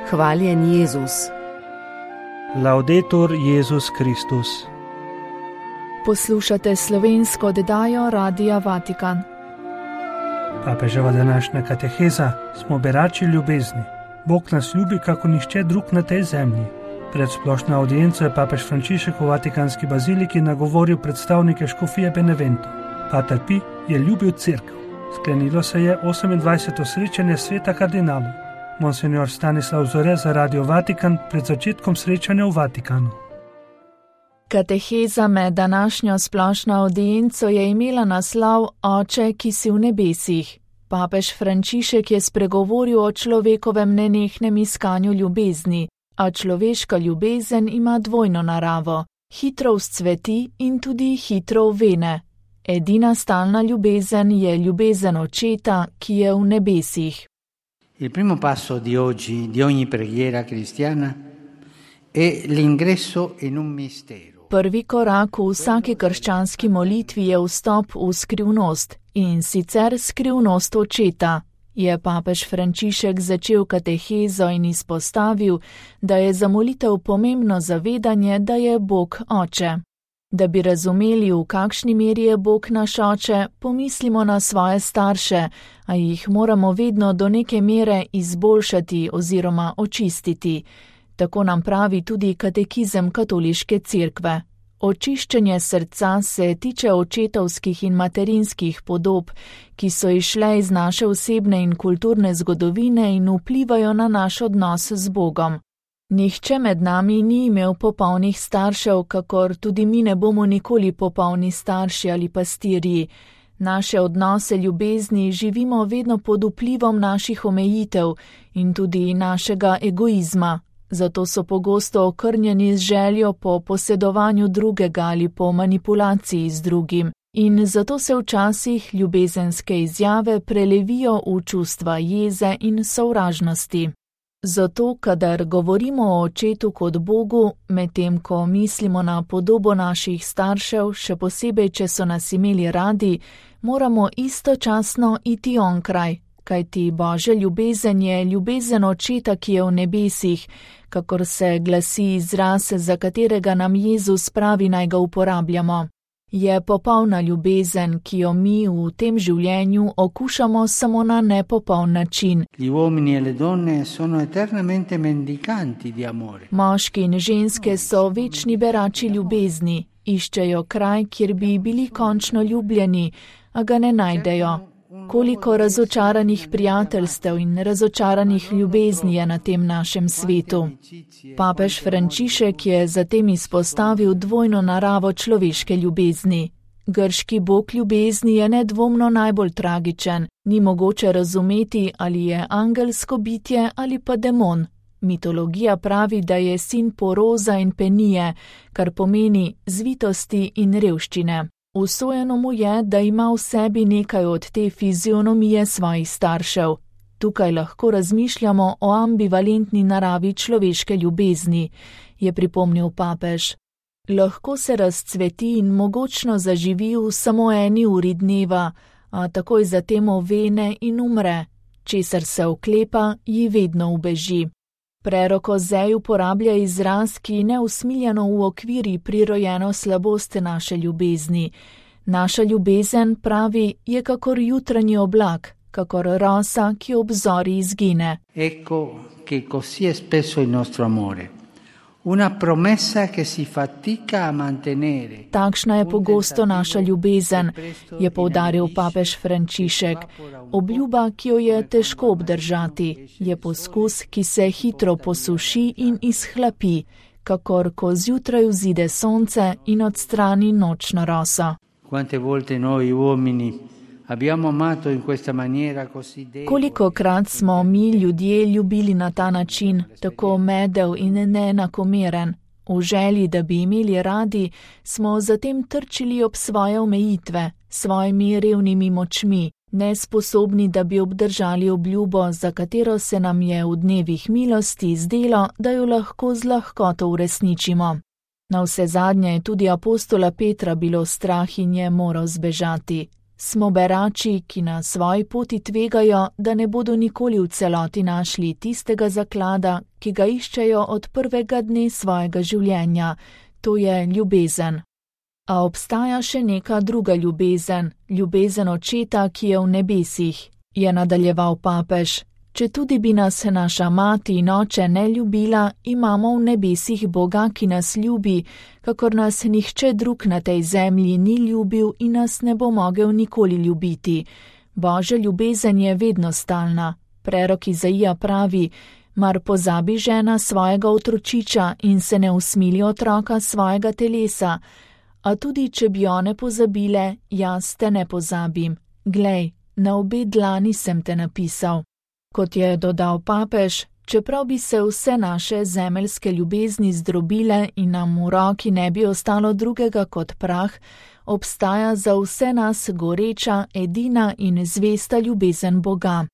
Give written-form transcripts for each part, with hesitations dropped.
Hvaljen Jezus. Laudetur Jezus Kristus. Poslušate slovensko oddajo Radia Vatikan. Papeževa današnja kateheza smo berači ljubezni. Bog nas ljubi, kako nihče drug na tej zemlji. Pred splošno audienco je papež Frančišek v Vatikanski baziliki nagovoril predstavnike škofije Benevento. Pater Pi je ljubil cerkev. Sklenilo se je 28. srečanje sveta kardinalov. Monsignor Stanislav Zore za Radio Vatikan pred začetkom srečanja v Vatikanu. Kateheza med današnjo splošno audienco je imela naslov Oče, ki si v nebesih. Papež Frančišek je spregovoril o človekovem nenehnem iskanju ljubezni, a človeška ljubezen ima dvojno naravo. Hitro vzcveti in tudi hitro uvene. Edina stalna ljubezen je ljubezen Očeta, ki je v nebesih. Il primo passo di oggi, di ogni preghiera cristiana, è l'ingresso in un mistero. Prvi korak v vsaki krščanski molitvi je vstop v skrivnost, in sicer skrivnost Očeta. Je papež Frančišek začel katehezo in izpostavil, da je za molitev pomembno zavedanje, da je Bog Oče. Da bi razumeli, v kakšni meri je Bog naš Oče, pomislimo na svoje starše, a jih moramo vedno do neke mere izboljšati oziroma očistiti. Tako nam pravi tudi katekizem katoliške cerkve. Očiščenje srca se tiče očetovskih in materinskih podob, ki so izšle iz naše osebne in kulturne zgodovine in vplivajo na naš odnos z Bogom. Nihče med nami ni imel popolnih staršev, kakor tudi mi ne bomo nikoli popolni starši ali pastirji. Naše odnose ljubezni živimo vedno pod vplivom naših omejitev in tudi našega egoizma. Zato so pogosto okrnjeni z željo po posedovanju drugega ali po manipulaciji z drugim. In zato se včasih ljubezenske izjave prelevijo v čustva jeze in sovražnosti. Zato, kadar govorimo o Očetu kot Bogu, medtem ko mislimo na podobo naših staršev, še posebej, če so nas imeli radi, moramo istočasno iti onkraj, kajti Božja ljubezen je ljubezen Očeta, ki je v nebesih, kakor se glasi izraz, za katerega nam Jezus pravi, naj ga uporabljamo. Je popolna ljubezen, ki jo mi v tem življenju okušamo samo na nepopoln način. Moški in ženske so večni berači ljubezni, iščejo kraj, kjer bi bili končno ljubljeni, a ga ne najdejo. Koliko razočaranih prijateljstev in razočaranih ljubezni je na tem našem svetu. Papež Frančišek je zatem izpostavil dvojno naravo človeške ljubezni. Grški bog ljubezni je nedvomno najbolj tragičen, ni mogoče razumeti, ali je angelsko bitje ali pa demon. Mitologija pravi, da je sin Poroza in Penije, kar pomeni zvitosti in revščine. Usojeno mu je, da ima v sebi nekaj od te fizionomije svojih staršev. Tukaj lahko razmišljamo o ambivalentni naravi človeške ljubezni, je pripomnil papež. Lahko se razcveti in mogočno zaživi v samo eni uri dneva, a takoj zatem ovene in umre, česar se oklepa, ji vedno ubeži. Prerok Ozej uporablja izraz, ki neusmiljeno uokviri prirojeno slabost naše ljubezni. Naša ljubezen, pravi, je kakor jutranji oblak, kakor rosa, ki ob zori izgine. Ecco che così è spesso il nostro amore. Una promessa che si fatica a mantenere. Takšna je pogosto naša ljubezen, je poudaril papež Frančišek. Obljuba, ki jo je težko obdržati, je poskus, ki se hitro posuši in izhlapi, kakor ko zjutraj vzide sonce in odstrani nočno roso. Quante volte noi uomini abbiamo amato in questa maniera così debole. Kolikokrat smo mi ljudje ljubili na ta način, tako medel in neenakomeren. V želji, da bi imeli radi, smo zatem trčili ob svoje omejitve, svojimi revnimi močmi, nesposobni, da bi obdržali obljubo, za katero se nam je v dnevih milosti zdelo, da jo lahko z lahkoto uresničimo. Navsezadnje je tudi apostola Petra bilo strah in je moral zbežati. Smo berači, ki na svoji poti tvegajo, da ne bodo nikoli v celoti našli tistega zaklada, ki ga iščejo od prvega dne svojega življenja, to je ljubezen. A obstaja še neka druga ljubezen, ljubezen Očeta, ki je v nebesih, je nadaljeval papež. Četudi bi nas naša mati in oče ne ljubila, imamo v nebesih Boga, ki nas ljubi, kakor nas nihče drug na tej zemlji ni ljubil in nas ne bo mogel nikoli ljubiti. Božja ljubezen je vedno stalna. Prerok Izaija pravi: mar pozabi žena svojega otročiča in se ne usmili otroka svojega telesa. A tudi če bi one pozabile, jaz te ne pozabim. Glej, na obe dlani sem te napisal. Kot je dodal papež, čeprav bi se vse naše zemeljske ljubezni zdrobile in nam v roki ne bi ostalo drugega kot prah, obstaja za vse nas goreča, edina in zvesta ljubezen Boga.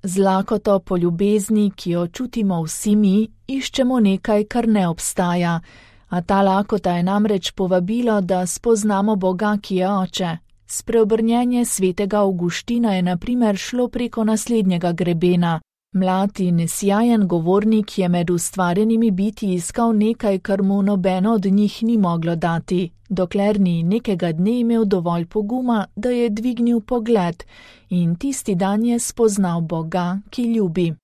Z lakoto po ljubezni, ki jo čutimo vsi mi, iščemo nekaj, kar ne obstaja. A ta lakota je namreč povabilo, da spoznamo Boga, ki je Oče. Spreobrnjenje svetega Avguština je na primer šlo preko naslednjega grebena. Mlad in sjajen govornik je med ustvarjenimi bitji iskal nekaj, kar mu nobeno od njih ni moglo dati, dokler ni nekega dne imel dovolj poguma, da je dvignil pogled in tisti dan je spoznal Boga, ki ljubi.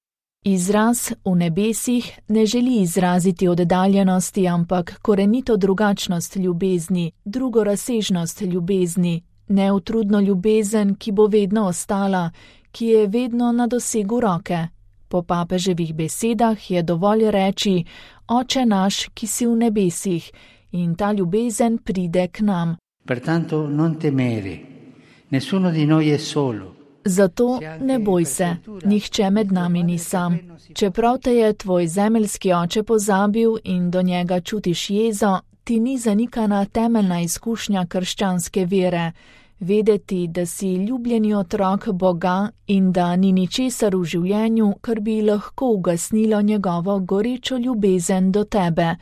Izraz v nebesih ne želi izraziti oddaljenosti, ampak korenito drugačnost ljubezni, drugorazsežnost ljubezni, neutrudno ljubezen, ki bo vedno ostala, ki je vedno na dosegu roke. Po papeževih besedah je dovolj reči: Oče naš, ki si v nebesih, in ta ljubezen pride k nam. Pertanto non temere, nessuno di noi è solo. Zato ne boj se, nihče med nami ni sam. Čeprav te je tvoj zemeljski oče pozabil in do njega čutiš jezo, ti ni zanikana temeljna izkušnja krščanske vere. Vedeti, da si ljubljeni otrok Boga in da ni ničesar v življenju, kar bi lahko ugasnilo njegovo gorečo ljubezen do tebe,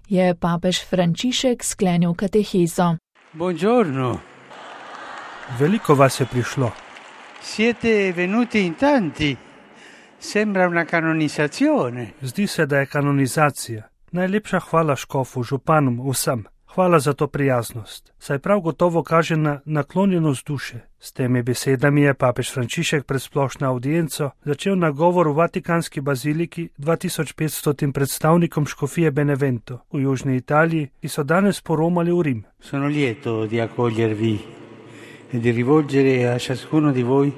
je papež Frančišek sklenil katehezo. Buongiorno. Veliko vas je prišlo. Siete venuti in tanti. Sembra una canonizzazione. Zdi se, da je kanonizacija. Najlepša hvala škofu, županom, vsem. Hvala za to prijaznost. Saj prav gotovo kaže na naklonjenost duše. S temi besedami je papež Frančišek pred splošno audienco začel nagovor v Vatikanski baziliki 2500 predstavnikom škofije Benevento v južni Italiji, ki so danes poromali v Rim. Sono lieto di accogliervi e di rivolgere a ciascuno di voi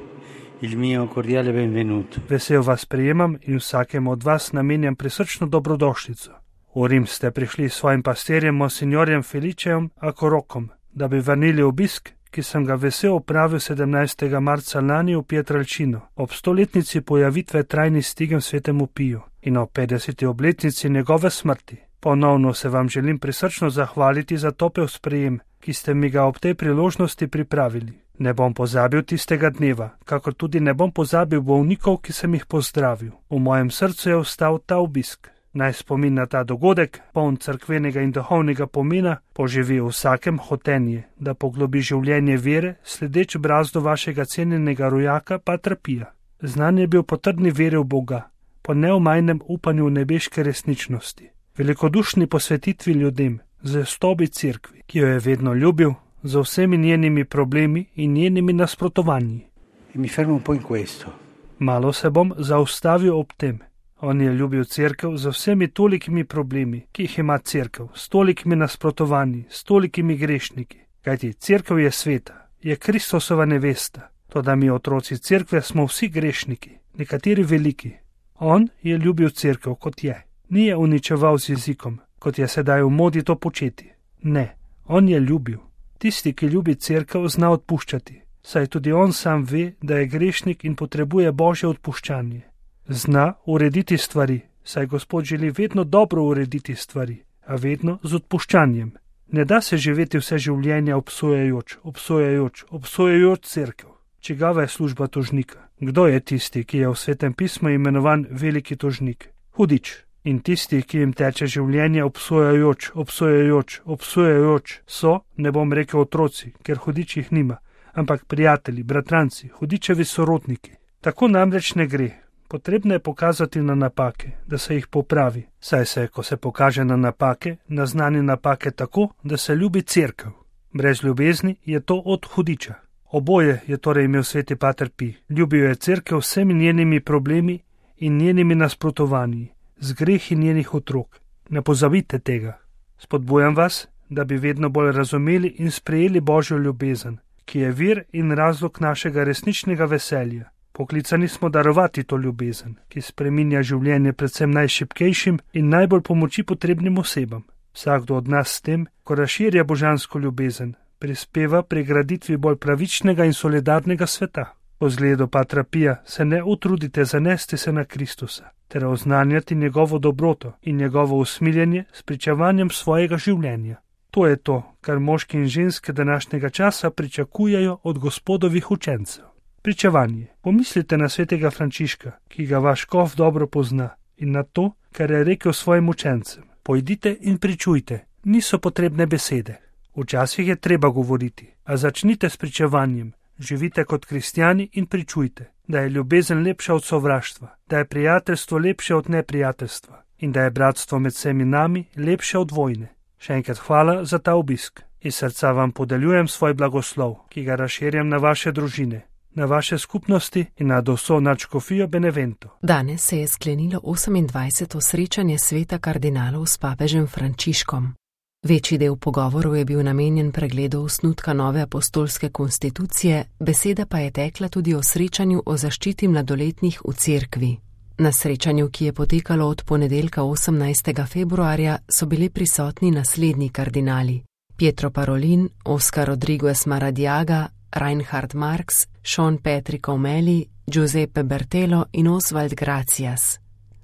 il mio cordiale benvenuto. Vesel vas prijemam in vsakemu od vas namenjam prisrčno dobrodošlico. V Rim ste prišli s svojim pastirjem monsignorjem Felicejem Akorokom, da bi vrnili obisk, ki sem ga vesel opravil 17. marca lani v Pietrelcino, ob 100-letnici pojavitve trajni stigem svetemu Piju in ob 50. obletnici njegove smrti. Ponovno se vam želim prisrčno zahvaliti za topel sprejem, ki ste mi ga ob tej priložnosti pripravili. Ne bom pozabil tistega dneva, kakor tudi ne bom pozabil bolnikov, ki sem jih pozdravil. V mojem srcu je ostal ta obisk. Naj spomin na ta dogodek, poln cerkvenega in duhovnega pomena, poživi v vsakem hotenje, da poglobi življenje vere, sledeč brazdu vašega cenjenega rojaka Patra Pija. Znan je bil po trdni veri v Boga, po neomajnem upanju v nebeške resničnosti, velikodušni posvetitvi ljudem, zvestobi cerkvi, ki jo je vedno ljubil, z vsemi njenimi problemi in njenimi nasprotovanji. Mi fermo un po' in questo. Malo se bom zaustavil ob tem. On je ljubil cerkev z vsemi tolikimi problemi, ki jih ima cerkev, s tolikimi nasprotovanji, s tolikimi grešniki. Kajti cerkev je sveta, je Kristusova nevesta, toda mi otroci cerkve smo vsi grešniki, nekateri veliki. On je ljubil cerkev, kot je. Ni je uničeval z jezikom, kot je sedaj v modi to početi. Ne, on je ljubil. Tisti, ki ljubi cerkev, zna odpuščati, saj tudi on sam ve, da je grešnik in potrebuje Božje odpuščanje. Zna urediti stvari, saj Gospod želi vedno dobro urediti stvari, a vedno z odpuščanjem. Ne da se živeti vse življenje obsojajoč cerkev. Čigava je služba tožnika? Kdo je tisti, ki je v Svetem pismu imenovan veliki tožnik? Hudič. In tisti, ki jim teče življenje obsojajoč, so, ne bom rekel otroci, ker hudič jih nima, ampak prijatelji, bratranci, hudičevi sorodniki. Tako namreč ne gre. Potrebno je pokazati na napake, da se jih popravi. Saj se, ko se pokaže na napake, naznani napake tako, da se ljubi cerkev. Brez ljubezni je to od hudiča. Oboje je torej imel sveti pater Pij. Ljubil je cerkev vsemi njenimi problemi in njenimi nasprotovanji, z grehi njenih otrok. Ne pozabite tega. Spodbujam vas, da bi vedno bolj razumeli in sprejeli Božjo ljubezen, ki je vir in razlog našega resničnega veselja. Poklicani smo darovati to ljubezen, ki spreminja življenje predvsem najšibkejšim in najbolj pomoči potrebnim osebam. Vsakdo od nas s tem, ko razširja božansko ljubezen, prispeva pri graditvi bolj pravičnega in solidarnega sveta. Po zgledu patra Pija se ne utrudite zanesti se na Kristusa, ter oznanjati njegovo dobroto in njegovo usmiljenje s pričevanjem svojega življenja. To je to, kar moški in ženske današnjega časa pričakujejo od Gospodovih učencev. Pričevanje. Pomislite na svetega Frančiška, ki ga vaš škof dobro pozna, in na to, kar je rekel svojim učencem. Pojdite in pričujte, niso potrebne besede. Včasih je treba govoriti, a začnite s pričevanjem. Živite kot kristjani in pričujte, da je ljubezen lepša od sovraštva, da je prijateljstvo lepše od neprijateljstva in da je bratstvo med vsemi nami lepše od vojne. Še enkrat hvala za ta obisk. Iz srca vam podeljujem svoj blagoslov, ki ga razširjam na vaše družine, na vaše skupnosti in na vso nadškofijo Benevento. Danes se je sklenilo 28. srečanje sveta kardinalov s papežem Frančiškom. Večji del pogovorov je bil namenjen pregledu osnutka nove apostolske konstitucije, beseda pa je tekla tudi o srečanju o zaščiti mladoletnih v cerkvi. Na srečanju, ki je potekalo od ponedeljka 18. februarja, so bili prisotni naslednji kardinali: Pietro Parolin, Oscar Rodriguez Maradiaga, Reinhard Marx, Sean Patrick O'Malley, Giuseppe Bertelo in Oswald Gracias.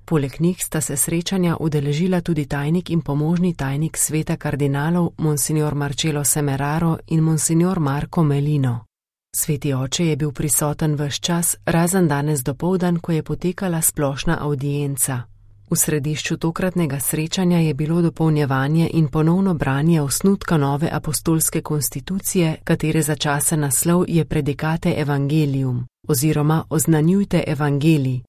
Poleg njih sta se srečanja udeležila tudi tajnik in pomožni tajnik sveta kardinalov Monsignor Marcello Semeraro in Monsignor Marco Melino. Sveti oče je bil prisoten ves čas, razen danes dopoldan, ko je potekala splošna avdienca. V središču tokratnega srečanja je bilo dopolnjevanje in ponovno branje osnutka nove apostolske konstitucije, katere začasen naslov je Predicate Evangelium oziroma Oznanjujte evangelij.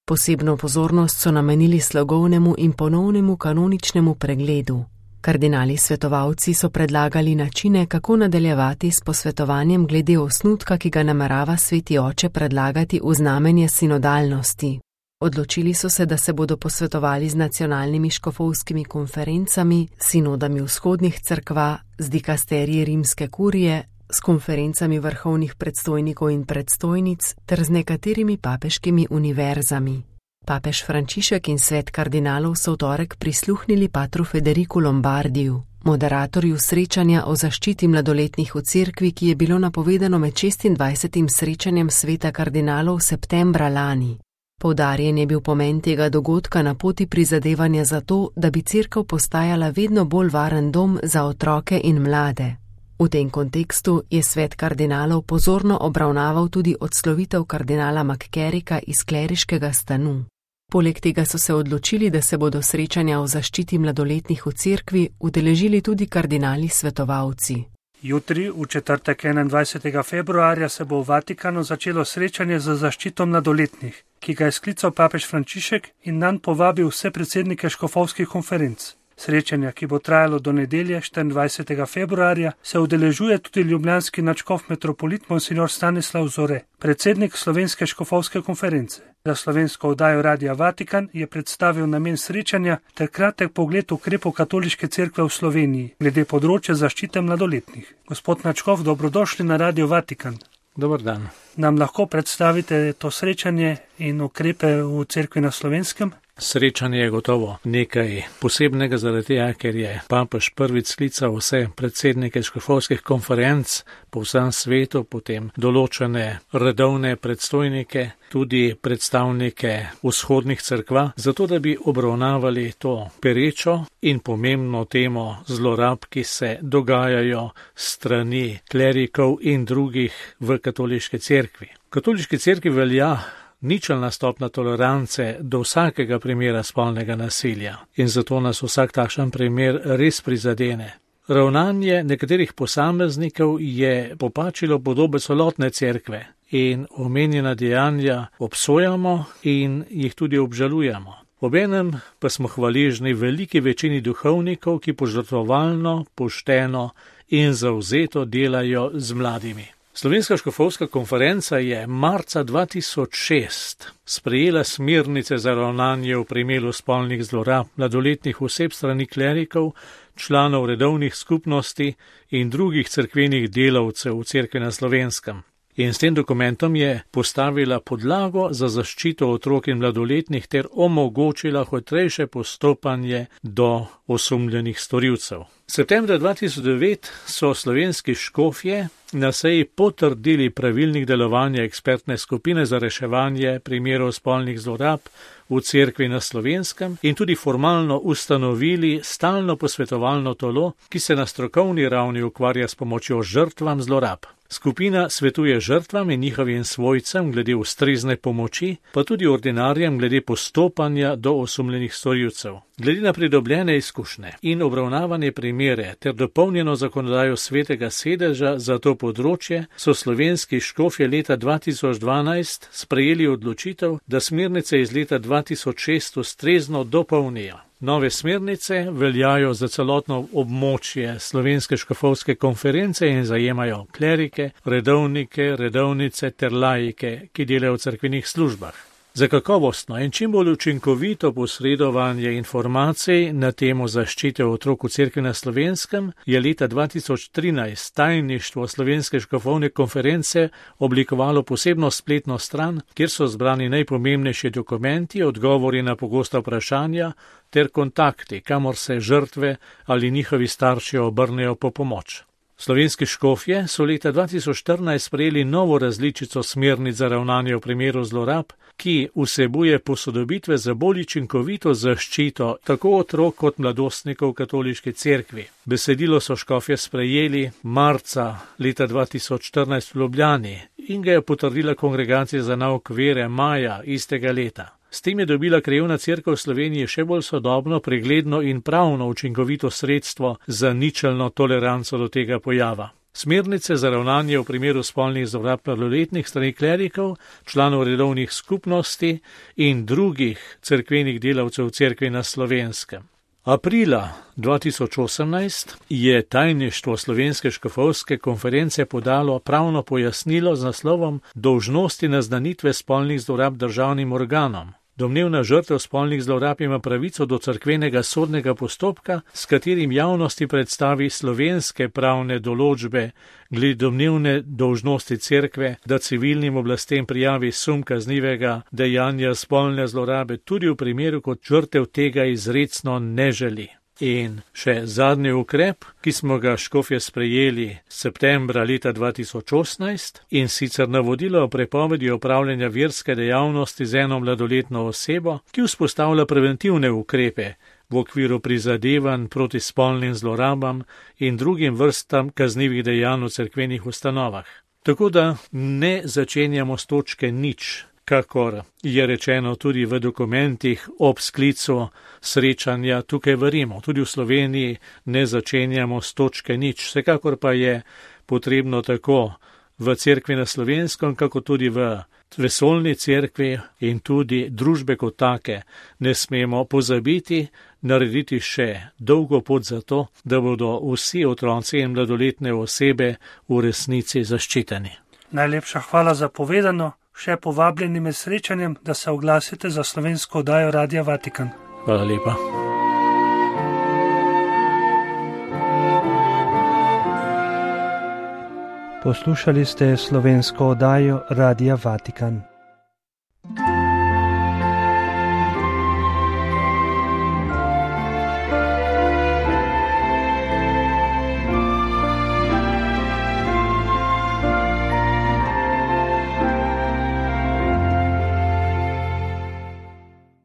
Posebno pozornost so namenili slogovnemu in ponovnemu kanoničnemu pregledu. Kardinali svetovalci so predlagali načine, kako nadaljevati s posvetovanjem glede osnutka, ki ga namerava sveti oče predlagati v znamenje sinodalnosti. Odločili so se, da se bodo posvetovali z nacionalnimi škofovskimi konferencami, sinodami vzhodnih cerkva, z dikasteriji rimske kurije, s konferencami vrhovnih predstojnikov in predstojnic ter z nekaterimi papeškimi univerzami. Papež Frančišek in svet kardinalov so v torek prisluhnili patru Federiku Lombardiju, moderatorju srečanja o zaščiti mladoletnih v cerkvi, ki je bilo napovedano med 26. srečanjem sveta kardinalov septembra lani. Poudarjen je bil pomen tega dogodka na poti prizadevanja za to, da bi cerkev postajala vedno bolj varen dom za otroke in mlade. V tem kontekstu je svet kardinalov pozorno obravnaval tudi odslovitev kardinala McCarricka iz kleriškega stanu. Poleg tega so se odločili, da se bodo srečanja o zaščiti mladoletnih v cerkvi udeležili tudi kardinali svetovalci. Jutri, v četrtek 21. februarja, se bo v Vatikanu začelo srečanje za zaščito mladoletnih, ki ga je sklical papež Frančišek in nanj povabil vse predsednike škofovskih konferenc. Srečanja, ki bo trajalo do nedelje 24. februarja, se udeležuje tudi ljubljanski nadškof metropolit Monsignor Stanislav Zore, predsednik Slovenske škofovske konference. Za slovensko oddajo Radia Vatikan je predstavil namen srečanja ter kratek pogled ukrepov katoliške cerkve v Sloveniji glede področja zaščite mladoletnih. Gospod nadškof, dobrodošli na Radio Vatikan. Dobar dan. Nam lahko predstavite to srečanje in ukrepe v cerkvi na Slovenskem? Srečanje je gotovo nekaj posebnega zaradi tega, ker je papež prvič sklical vse predsednike škofovskih konferenc po vsem svetu, potem določene redovne predstojnike, tudi predstavnike vzhodnih cerkva, zato da bi obravnavali to perečo in pomembno temo zlorab, ki se dogajajo strani klerikov in drugih v katoliški cerkvi. V katoliški cerkvi velja ničelna stopnja tolerance do vsakega primera spolnega nasilja in zato nas vsak takšen primer res prizadene. Ravnanje nekaterih posameznikov je popačilo podobe celotne cerkve in omenjena dejanja obsojamo in jih tudi obžalujemo. Obenem pa smo hvaležni veliki večini duhovnikov, ki požrtvovalno, pošteno in zavzeto delajo z mladimi. Slovenska škofovska konferenca je marca 2006 sprejela smernice za ravnanje v primeru spolnih zlorab mladoletnih oseb strani klerikov, članov redovnih skupnosti in drugih cerkvenih delavcev v cerkvi na Slovenskem. In s tem dokumentom je postavila podlago za zaščito otrok in mladoletnih ter omogočila hitrejše postopanje do osumljenih storilcev. Septembra 2009 so slovenski škofje na seji potrdili pravilnik delovanja ekspertne skupine za reševanje primerov spolnih zlorab v cerkvi na Slovenskem in tudi formalno ustanovili stalno posvetovalno telo, ki se na strokovni ravni ukvarja s pomočjo žrtvam zlorab. Skupina svetuje žrtvam in njihovim svojcem glede ustrezne pomoči, pa tudi ordinarjem glede postopanja do osumljenih storilcev. Glede na pridobljene izkušnje in obravnavanje primere ter dopolnjeno zakonodajo Svetega sedeža za to področje so slovenski škofje leta 2012 sprejeli odločitev, da smernice iz leta 2006 ustrezno dopolnijo. Nove smernice veljajo za celotno območje Slovenske škofovske konference in zajemajo klerike, redovnike, redovnice ter laike, ki delajo v cerkvenih službah. Za kakovostno in čim bolj učinkovito posredovanje informacij na temo zaščite otrok v cerkvi na Slovenskem je leta 2013 tajništvo Slovenske škofovne konference oblikovalo posebno spletno stran, kjer so zbrani najpomembnejši dokumenti, odgovori na pogosta vprašanja ter kontakti, kamor se žrtve ali njihovi starši obrnejo po pomoč. Slovenski škofje so leta 2014 sprejeli novo različico smernic za ravnanje v primeru zlorab, ki vsebuje posodobitve za bolj učinkovito zaščito tako otrok kot mladostnikov v katoliški cerkvi. Besedilo so škofje sprejeli marca leta 2014 v Ljubljani in ga je potrdila Kongregacija za nauk vere maja istega leta. S tem je dobila krajevna cerkev v Sloveniji še bolj sodobno, pregledno in pravno učinkovito sredstvo za ničelno toleranco do tega pojava. Smernice za ravnanje v primeru spolnih zlorab mladoletnih strani klerikov, članov redovnih skupnosti in drugih cerkvenih delavcev v cerkvi na Slovenskem. Aprila 2018 je tajništvo Slovenske škofovske konference podalo pravno pojasnilo z naslovom Dolžnosti naznanitve spolnih zlorab državnim organom. Domnevna žrtev spolnih zlorab ima pravico do cerkvenega sodnega postopka, s katerim javnosti predstavi slovenske pravne določbe glede domnevne dolžnosti cerkve, da civilnim oblastem prijavi sum kaznivega dejanja spolne zlorabe tudi v primeru, kot žrtev tega izrecno ne želi. In še zadnji ukrep, ki smo ga škofje sprejeli septembra leta 2018 in sicer navodilo o prepovedi opravljanja verske dejavnosti z eno mladoletno osebo, ki vzpostavlja preventivne ukrepe v okviru prizadevanj proti spolnim zlorabam in drugim vrstam kaznivih dejanj v cerkvenih ustanovah. Tako da ne začenjamo s točke nič, kakor je rečeno tudi v dokumentih ob sklicu srečanja tukaj v Rimu. Tudi v Sloveniji ne začenjamo s točke nič. Vsekakor pa je potrebno tako v cerkvi na Slovenskem, kako tudi v vesoljni cerkvi in tudi družbe kot take ne smemo pozabiti narediti še dolgo pot za to, da bodo vsi otroci in mladoletne osebe v resnici zaščiteni. Najlepša hvala za povedano. Še povabljeni med srečanjem, da se oglasite za slovensko oddajo Radia Vatikan. Hvala lepa. Poslušali ste slovensko oddajo Radia Vatikan.